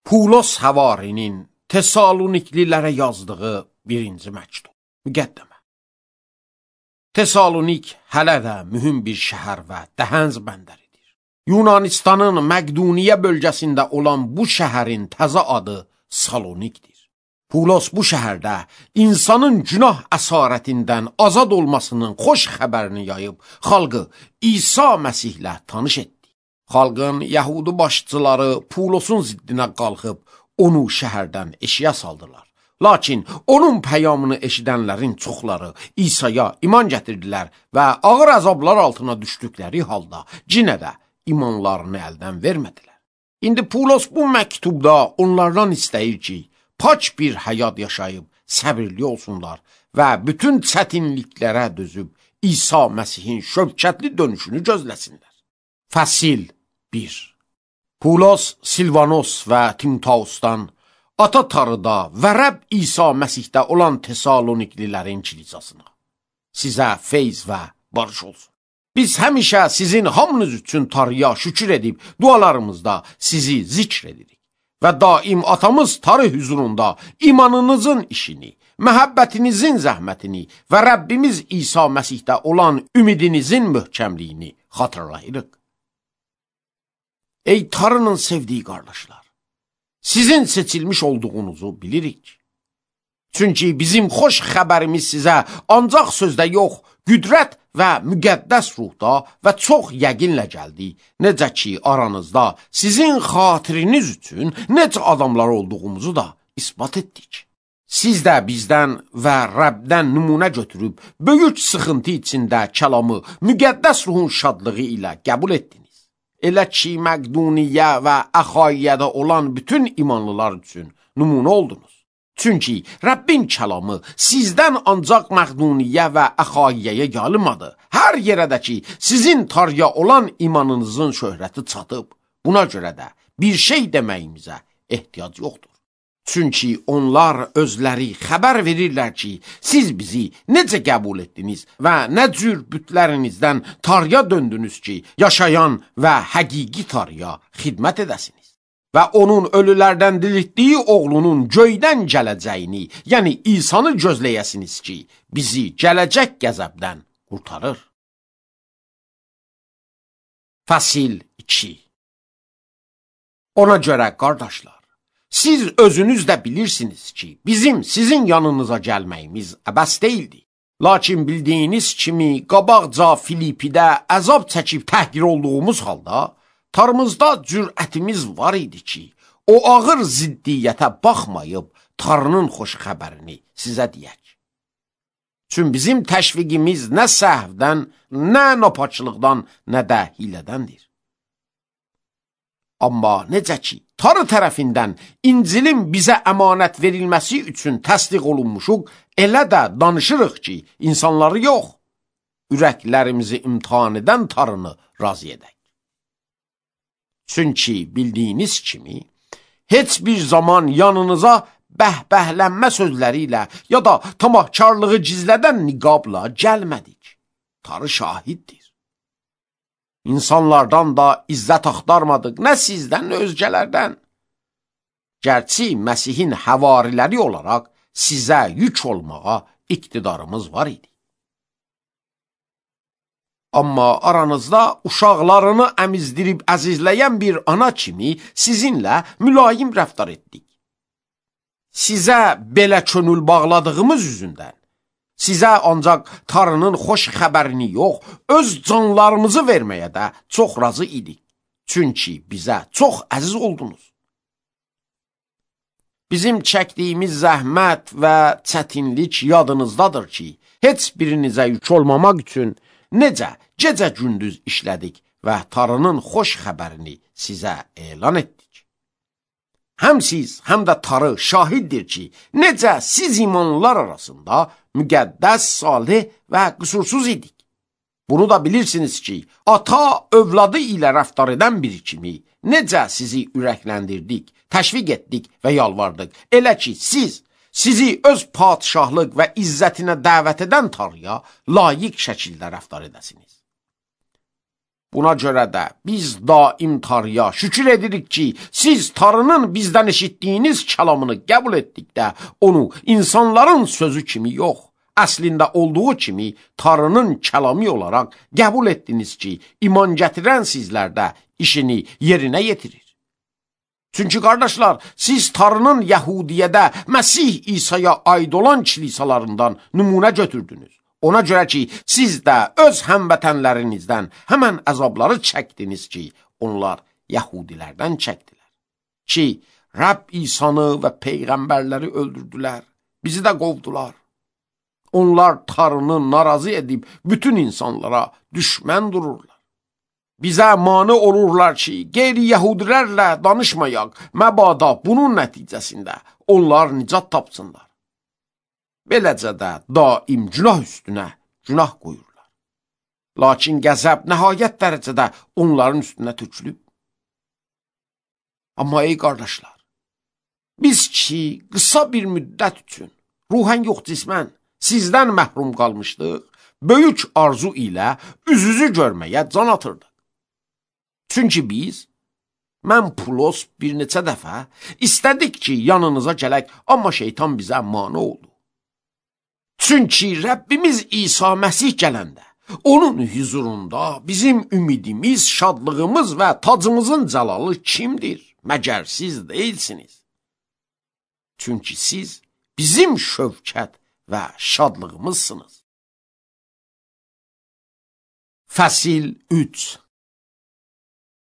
Pulos Həvarinin Tesaloniklilərə yazdığı birinci məktub. Müqəddəmə. Tesalonik hələ də mühüm bir şəhər və dəhənc bəndəridir. Yunanistanın Məqduniyə bölgəsində olan bu şəhərin təzə adı Salonikdir. Pulos bu şəhərdə insanın günah əsarətindən azad olmasının xoş xəbərini yayıb, xalqı İsa Məsihlə tanış etdi. Xalqın Yəhudi başçıları Pulosun ziddinə qalxıb, onu şəhərdən eşiyə saldılar. Lakin onun peyamını eşidənlərin çoxları İsa'ya iman gətirdilər və ağır əzablar altına düşdükləri halda cinə də imanlarını əldən vermədilər. İndi Pulos bu məktubda onlardan istəyir ki, paç bir həyat yaşayıb səbirli olsunlar və bütün çətinliklərə dözüb İsa Məsihin şövkətli dönüşünü gözləsinlər. Fəsil 1. Pulos, Silvanos və Timoteusdan Ata Tarıda və Rəbb İsa Məsihdə olan Tesaloniklilərin kilisasına sizə feyz və barış olsun. Biz həmişə sizin hamınız üçün Tarıya şükür edib dualarımızda sizi zikr edirik və daim atamız Tarı huzurunda imanınızın işini, məhəbbətinizin zəhmətini və Rəbbimiz İsa Məsihdə olan ümidinizin möhkəmliyini xatırlayırıq. Ey Tarının sevdiyi qardaşlar, sizin seçilmiş olduğunuzu bilirik. Çünki bizim xoş xəbərimiz sizə ancaq sözdə yox, qüdrət və müqəddəs ruhda və çox yəqinlə gəldi. Necə ki, aranızda sizin xatiriniz üçün necə adamlar olduğumuzu da isbat etdik. Siz də bizdən və Rəbdən nümunə götürüb, böyük sıxıntı içində kəlamı müqəddəs ruhun şadlığı ilə qəbul etdiniz. Elə ki, Məqduniyə və Əxayiyyədə olan bütün imanlılar üçün nümunə oldunuz. Çünki Rəbbin kəlamı sizdən ancaq Məqduniyə və Əxayiyyəyə gəlmədi. Hər yerədə ki, sizin Tarıya olan imanınızın şöhrəti çatıb, buna görə də bir şey deməyimizə ehtiyac yoxdur. Çünki onlar özləri xəbər verirlər ki, siz bizi necə qəbul etdiniz və nə cür bütlərinizdən Tarıya döndünüz ki, yaşayan və həqiqi Tarıya xidmət edəsiniz. Və onun ölülərdən diriltdiyi oğlunun göydən gələcəyini, yəni İsa'nı gözləyəsiniz ki, bizi gələcək qəzəbdən qurtarır. Fəsil 2. Ona görə, qardaşlar, siz özünüz də bilirsiniz ki, bizim sizin yanınıza gəlməyimiz əbəs deyildi. Lakin bildiyiniz kimi, qabaqca Filipidə əzab çəkib təhqir olduğumuz halda, Tarımızda cürətimiz var idi ki, o ağır ziddiyyətə baxmayıb, Tarının xoş xəbərini sizə deyək. Çünki bizim təşviqimiz nə səhvdən, nə napaçılıqdan, nə də hilədəndir. Amma necə ki, Tarı tərəfindən İncilin bizə əmanət verilməsi üçün təsdiq olunmuşuq, elə də danışırıq ki, insanları yox, ürəklərimizi imtihan edən Tarını razı edək. Çünki bildiyiniz kimi, heç bir zaman yanınıza bəhbəhlənmə sözləri ilə ya da tamahkarlığı gizlədən niqabla gəlmədik. Tarı şahiddir. İnsanlardan da izzət axtarmadıq, nə sizdən, nə özgələrdən. Gərçi Məsihin həvariləri olaraq sizə yük olmağa iqtidarımız var idi. Amma aranızda uşaqlarını əmizdirib əzizləyən bir ana kimi sizinlə mülayim rəftar etdik. Sizə belə könül bağladığımız üzündən, sizə ancaq Tarının xoş xəbərini yox, öz canlarımızı verməyə də çox razı idik. Çünki bizə çox əziz oldunuz. Bizim çəkdiyimiz zəhmət və çətinlik yadınızdadır ki, heç birinizə yük olmamaq üçün necə gecə-gündüz işlədik və Tarının xoş xəbərini sizə elan etdik. Həm siz, həm də Tarı şahiddir ki, necə siz imanlılar arasında müqəddəs, salih və qüsursuz idik. Bunu da bilirsiniz ki, ata övladı ilə rəftar edən biri kimi necə sizi ürəkləndirdik, təşviq etdik və yalvardıq. Elə ki, sizi öz padişahlıq və izzətinə dəvət edən Tarıya layiq şəkildə rəftar edəsiniz. Buna görə də biz daim Tanrıya şükür edirik ki, siz Tanrının bizdən eşitdiyiniz kəlamını qəbul etdikdə, onu insanların sözü kimi yox, əslində olduğu kimi Tanrının kəlamı olaraq qəbul etdiniz ki, iman gətirən sizlərdə işini yerinə yetirir. Çünki qardaşlar, siz Tanrının Yəhudiyyədə Məsih İsa'ya aid olan kilisalarından nümunə götürdünüz. Ona görə ki, siz də öz həmvətənlərinizdən həmən əzabları çəkdiniz ki, onlar Yəhudilərdən çəkdilər. Ki, Rəbb İsa'nı və peyğəmbərləri öldürdülər, bizi də qovdular. Onlar Tanrını narazı edib bütün insanlara düşmən dururlar. Bizə mane olurlar ki, qeyri-Yəhudilərlə danışmayaq, məbada bunun nəticəsində onlar nicat tapsınlar. Beləcə də daim günah üstünə günah qoyurlar. Lakin qəzəb nəhayət dərəcədə onların üstünə tökülüb. Amma ey qardaşlar, biz ki, qısa bir müddət üçün, ruhən yox cismən, sizdən məhrum qalmışdıq, böyük arzu ilə üz-üzü görməyə can atırdıq. Çünki mən Pulos bir neçə dəfə istədik ki, yanınıza gələk, amma şeytan bizə mane oldu. Çünki Rəbbimiz İsa Məsih gələndə, onun huzurunda bizim ümidimiz, şadlığımız və tacımızın cəlalı kimdir? Məgər siz deyilsiniz. Çünki siz bizim şövkət və şadlığımızsınız. Fəsil 3.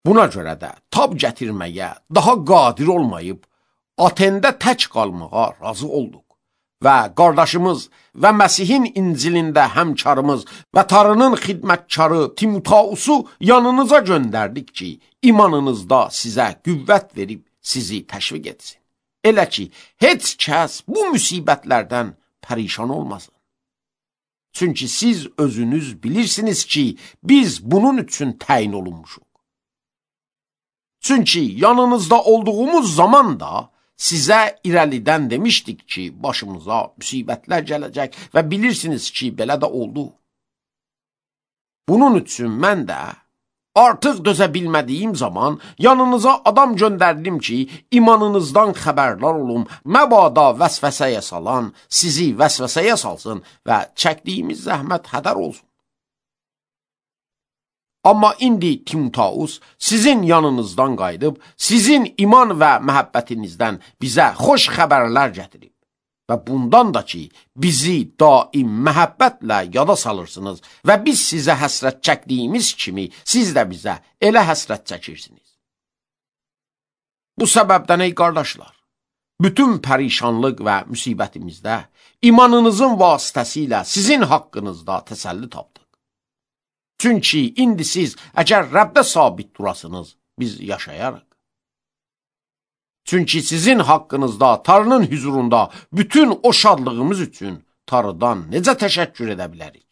Buna görə də tab gətirməyə daha qadir olmayıb, Atendə tək qalmağa razı olduq. Və qardaşımız və Məsihin İncilində həmkarımız və Tanrının xidmətkarı Timotausu yanınıza göndərdik ki, imanınızda sizə qüvvət verib sizi təşviq etsin. Elə ki, heç kəs bu müsibətlərdən pərişan olmasın. Çünki siz özünüz bilirsiniz ki, biz bunun üçün təyin olunmuşuq. Çünki yanınızda olduğumuz zaman da sizə irəlidən demişdik ki, başımıza müsibətlər gələcək və bilirsiniz ki, belə də oldu. Bunun üçün mən də artıq dözə bilmədiyim zaman yanınıza adam göndərdim ki, imanınızdan xəbərdar olum, məbada vəsvəsəyə salan, sizi vəsvəsəyə salsın və çəkdiyimiz zəhmət hədər olsun. Amma indi Timotaus sizin yanınızdan qayıdıb, sizin iman və məhəbbətinizdən bizə xoş xəbərlər gətirib. Və bundan da ki, bizi daim məhəbbətlə yada salırsınız və biz sizə həsrət çəkdiyimiz kimi, siz də bizə elə həsrət çəkirsiniz. Bu səbəbdən ey qardaşlar, bütün pərişanlıq və müsibətimizdə imanınızın vasitəsilə sizin haqqınızda təsəlli tapdıq. Çünki indi siz əgər Rəbdə sabit durasınız, biz yaşayarıq. Çünki sizin haqqınızda Tanrının huzurunda bütün o şadlığımız üçün Tanrıdan necə təşəkkür edə bilərik?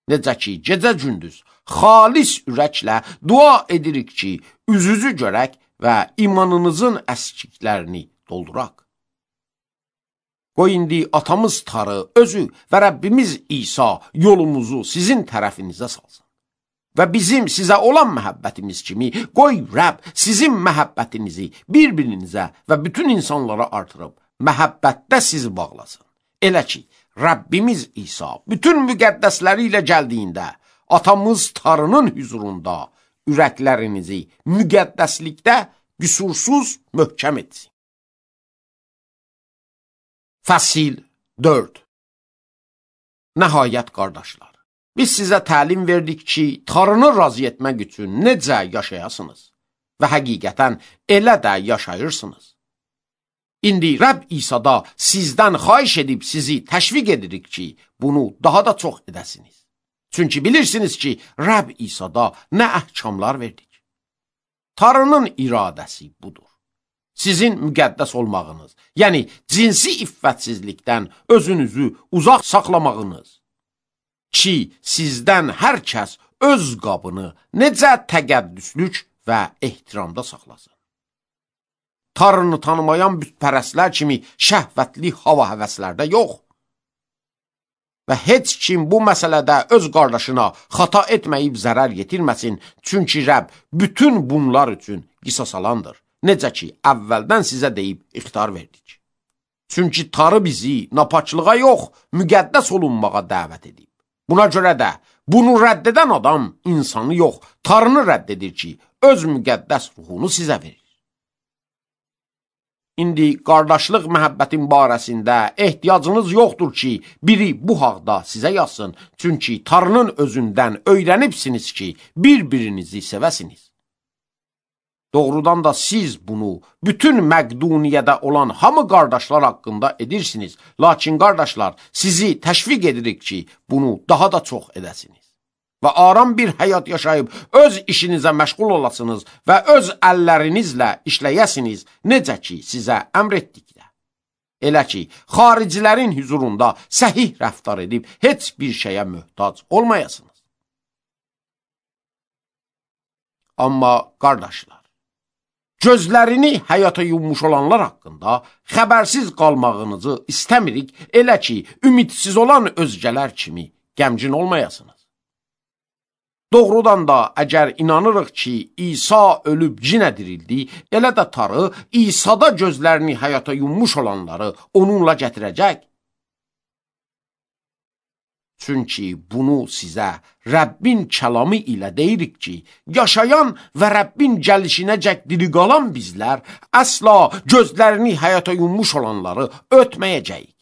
Necə ki, gecə-gündüz xalis ürəklə dua edirik ki, üzünüzü görək və imanınızın əskiklərini dolduraq. Qoy indi atamız Tanrı özü və Rəbbimiz İsa yolumuzu sizin tərəfinizə salsın. Və bizim sizə olan məhəbbətimiz kimi, qoy Rəbb sizin məhəbbətinizi bir-birinizə və bütün insanlara artırıb, məhəbbətdə sizi bağlasın. Elə ki, Rəbbimiz İsa bütün müqəddəsləri ilə gəldiyində, atamız Tanrının huzurunda ürəklərinizi müqəddəslikdə qüsursuz möhkəm etsin. Fəsil 4. Nəhayət qardaşlar, biz sizə təlim verdik ki, Tanrını razı etmək üçün necə yaşayasınız və həqiqətən elə də yaşayırsınız. İndi Rəbb İsa'da sizdən xahiş edib sizi təşviq edirik ki, bunu daha da çox edəsiniz. Çünki bilirsiniz ki, Rəbb İsa'da nə əhkamlar verdik. Tanrının iradəsi budur. Sizin müqəddəs olmağınız, yəni cinsi iffətsizlikdən özünüzü uzaq saxlamağınız ki, sizdən hər kəs öz qabını necə təqəddüslük və ehtiramda saxlasın. Tanrını tanımayan bütpərəstlər kimi şəhvətli hava həvəslərdə yox. və heç kim bu məsələdə öz qardaşına xata etməyib zərər yetirməsin, çünki Rəbb bütün bunlar üçün qisas alandır. Necə ki, əvvəldən sizə deyib ixtar verdik. Çünki Tanrı bizi napaçlığa yox, müqəddəs olunmağa dəvət edib. Buna görə də bunu rədd edən adam insanı yox, Tanrını rədd edir ki, öz müqəddəs ruhunu sizə verir. İndi qardaşlıq məhəbbətin barəsində ehtiyacınız yoxdur ki, biri bu haqda sizə yazsın. Çünki Tanrının özündən öyrənibsiniz ki, bir-birinizi sevəsiniz. Doğrudan da siz bunu bütün Məqduniyyədə olan hamı qardaşlar haqqında edirsiniz. Lakin qardaşlar, sizi təşviq edirik ki, bunu daha da çox edəsiniz. Və aram bir həyat yaşayıb öz işinizə məşğul olasınız və öz əllərinizlə işləyəsiniz, necə ki, sizə əmr etdikdə. Elə ki, xaricilərin hüzurunda səhih rəftar edib heç bir şeyə möhtac olmayasınız. Amma qardaşlar, gözlərini həyata yummuş olanlar haqqında xəbərsiz qalmağınızı istəmirik, elə ki, ümidsiz olan özgələr kimi qəmgin olmayasınız. Doğrudan da əgər inanırıq ki, İsa ölüb cinə dirildi, elə də Tanrı İsa'da gözlərini həyata yummuş olanları onunla gətirəcək. Çünki bunu sizə Rəbbin kəlamı ilə deyirik ki, yaşayan və Rəbbin gəlişinəcək diri qalan bizlər əsla gözlərini həyata yummuş olanları ötməyəcəyik.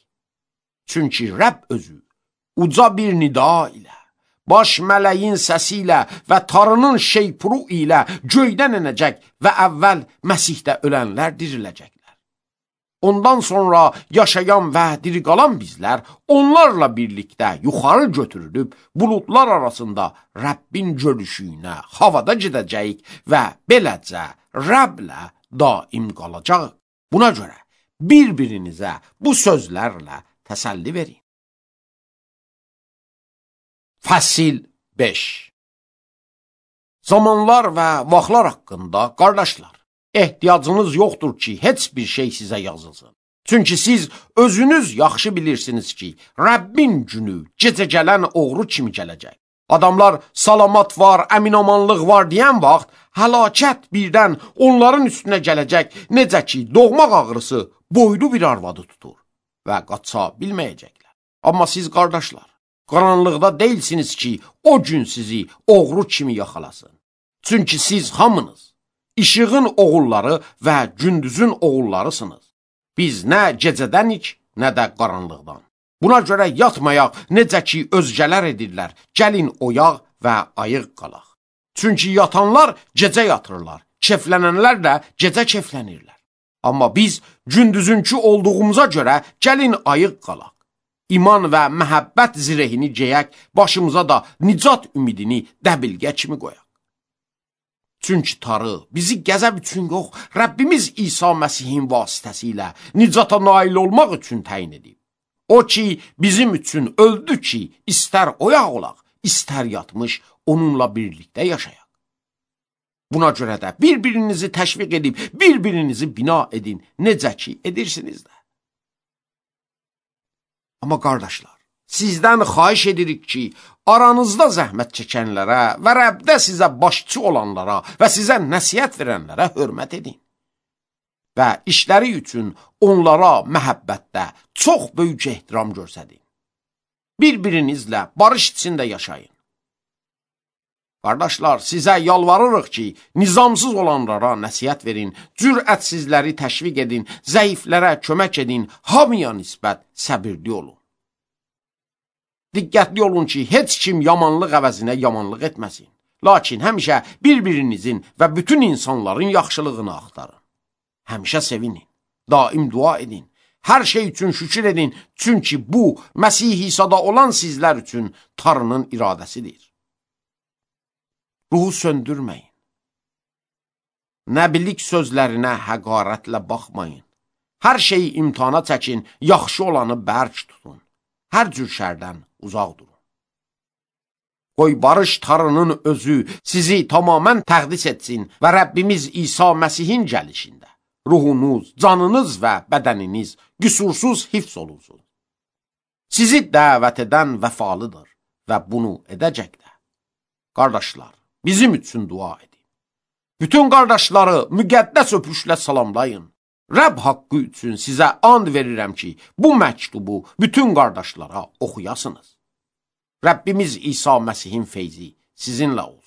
Çünki Rəbb özü uca bir nida ilə, baş mələyin səsi ilə və Tanrının şeypuru ilə göydən enəcək və əvvəl Məsihdə ölənlər diriləcəklər. Ondan sonra yaşayan və diri qalan bizlər onlarla birlikdə yuxarı götürülüb buludlar arasında Rəbbin görüşünə havada gedəcəyik və beləcə Rəbblə daim qalacaq. Buna görə bir-birinizə bu sözlərlə təsəlli verin. Fəsil 5. Zamanlar və vaxtlar haqqında qardaşlar, ehtiyacınız yoxdur ki, heç bir şey sizə yazılsın. Çünki siz özünüz yaxşı bilirsiniz ki, Rəbbin günü gecə gələn oğru kimi gələcək. Adamlar salamat var, əminamanlıq var deyən vaxt, həlakət birdən onların üstünə gələcək, necə ki, doğmaq ağrısı boylu bir arvadı tutur və qaça bilməyəcəklər. Amma siz qardaşlar, qaranlıqda deyilsiniz ki, o gün sizi oğru kimi yaxalasın. Çünki siz hamınız işığın oğulları və gündüzün oğullarısınız. Biz nə gecədənik, nə də qaranlıqdan. Buna görə yatmayaq, necə ki özgələr edirlər, gəlin oyaq və ayıq qalaq. Çünki yatanlar gecə yatırlar, keflənənlər də gecə keflənirlər. Amma biz gündüzünkü olduğumuza görə gəlin ayıq qalaq. İman və məhəbbət zirehini geyək, başımıza da nicat ümidini dəbilgə kimi qoyaq. Çünki Tanrı bizi qəzəb üçün yox, Rəbbimiz İsa Məsihin vasitəsilə nicata nail olmaq üçün təyin edib. O ki, bizim üçün öldü ki, istər oyaq olaq, istər yatmış, onunla birlikdə yaşayaq. Buna görə də bir-birinizi təşviq edib, bir-birinizi bina edin, necə ki edirsiniz də. Amma qardaşlar, sizdən xahiş edirik ki, aranızda zəhmət çəkənlərə və Rəbdə sizə başçı olanlara və sizə nəsihət verənlərə hörmət edin. Və işləri üçün onlara məhəbbətdə çox böyük ehtiram göstərin. Bir-birinizlə barış içində yaşayın. Qardaşlar, sizə yalvarırıq ki, nizamsız olanlara nəsihət verin, cürətsizləri təşviq edin, zəiflərə kömək edin, hamıya nisbət səbirli olun. Diqqətli olun ki, heç kim yamanlıq əvəzinə yamanlıq etməsin. Lakin həmişə bir-birinizin və bütün insanların yaxşılığını axtarın. Həmişə sevinin, daim dua edin, hər şey üçün şükür edin, çünki bu, Məsih İsa'da olan sizlər üçün Tanrının iradəsidir. Ruhu söndürməyin. Nəbilik sözlərinə həqarətlə baxmayın. Hər şeyi imtihana çəkin, yaxşı olanı bərk tutun. Hər cür şərdən uzaq durun. Qoy barış Tanrının özü sizi tamamən təqdis etsin və Rəbbimiz İsa Məsihin gəlişində ruhunuz, canınız və bədəniniz qüsursuz hifz olunsun. Sizi dəvət edən vəfalıdır və bunu edəcək də. Qardaşlar, bizim üçün dua edin. Bütün qardaşları müqəddəs öpüşlə salamlayın. Rəbb haqqı üçün sizə and verirəm ki, bu məktubu bütün qardaşlara oxuyasınız. Rəbbimiz İsa Məsihin feyzi sizinlə olsun.